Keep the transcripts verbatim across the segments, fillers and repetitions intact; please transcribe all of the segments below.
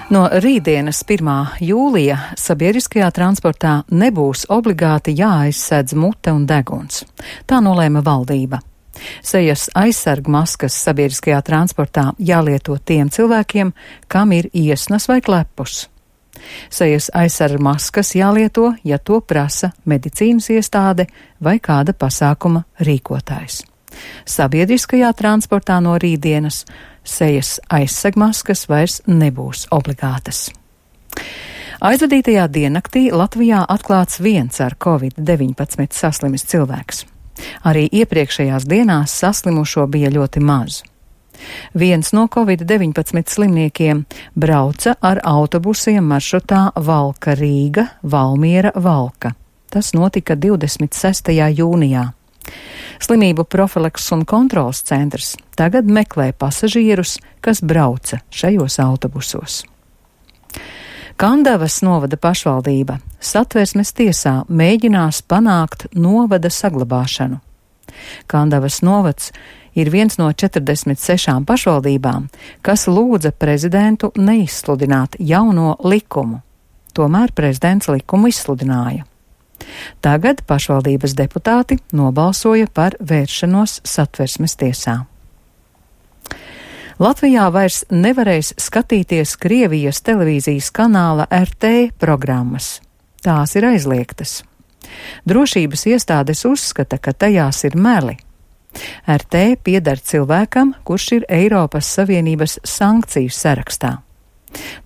No rītdienas pirmā jūlija sabiedriskajā transportā nebūs obligāti jāaizsedz mute un deguns. Tā nolēma valdība. Sejas aizsarg maskas sabiedriskajā transportā jālieto tiem cilvēkiem, kam ir iesnas vai klepus. Sejas aizsarg maskas jālieto, ja to prasa medicīnas iestāde vai kāda pasākuma rīkotājs. Sabiedriskajā transportā no rītdienas sejas aizsegmaskas vairs nebūs obligātas. Aizvadītajā diennaktī Latvijā atklāts viens ar covid deviņpadsmit saslimis cilvēks. Arī iepriekšējās dienās saslimušo bija ļoti maz. Viens no covid deviņpadsmit slimniekiem brauca ar autobusiem maršrutā Valka Rīga, Valmiera Valka. Tas notika divdesmit sestajā jūnijā. Slimību profilakses un kontrolas centrs tagad meklē pasažierus, kas brauca šajos autobusos. Kandavas novada pašvaldība Satversmes tiesā mēģinās panākt novada saglabāšanu. Kandavas novads ir viens no četrdesmit sešām pašvaldībām, kas lūdza prezidentu neizsludināt jauno likumu. Tomēr prezidents likumu izsludināja. Tagad pašvaldības deputāti nobalsoja par vēršanos Satversmes tiesā. Latvijā vairs nevarēs skatīties Krievijas televīzijas kanāla R T programmas. Tās ir aizliegtas. Drošības iestādes uzskata, ka tajās ir meli. R T pieder cilvēkam, kurš ir Eiropas Savienības sankciju sarakstā.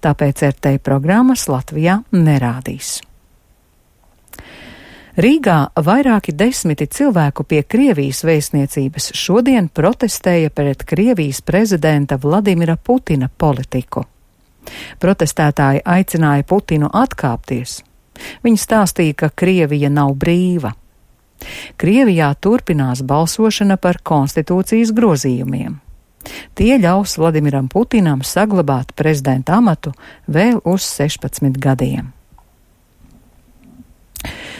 Tāpēc R T programmas Latvijā nerādīs. Rīgā vairāki desmiti cilvēku pie Krievijas vēstniecības šodien protestēja pret Krievijas prezidenta Vladimira Putina politiku. Protestētāji aicināja Putinu atkāpties. Viņi stāstīja, ka Krievija nav brīva. Krievijā turpinās balsošana par konstitūcijas grozījumiem. Tie ļaus Vladimiram Putinam saglabāt prezidenta amatu vēl uz sešpadsmit gadiem.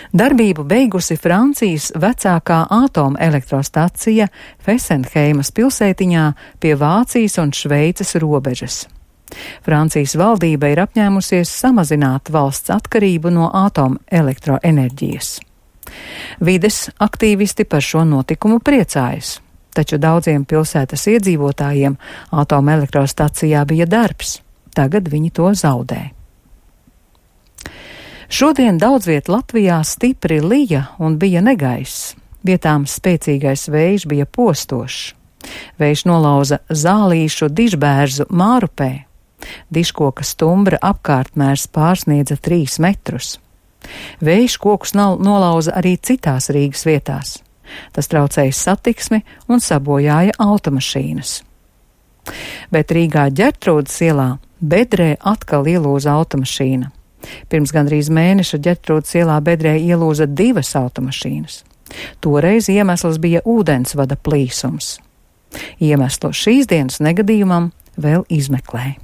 Darbību beigusi Francijas vecākā atomelektrostacija Fesenheimas pilsētiņā pie Vācijas un Šveices robežas. Francijas valdība ir apņēmusies samazināt valsts atkarību no atomelektroenerģijas. Vides aktīvisti par šo notikumu priecājas, taču daudziem pilsētas iedzīvotājiem atomelektrostacijā bija darbs, tagad viņi to zaudē. Šodien daudz viet Latvijā stipri lija un bija negaiss. Vietām spēcīgais vējš bija postošs. Vējš nolauza zālīšu dižbērzu Mārupē. Dižkoka stumbra apkārtmērs pārsniedza trīs metrus. Vējš kokus nolauza arī citās Rīgas vietās. Tas traucēja satiksmi un sabojāja automašīnas. Bet Rīgā Ģertrūdes ielā bedrē atkal ielūza automašīna. Pirms gandrīz mēneša Ģertrūdes ielā bedrē ielūza divas automašīnas. Toreiz iemesls bija ūdensvada plīsums. Iemeslu šīs dienas negadījumam vēl izmeklē.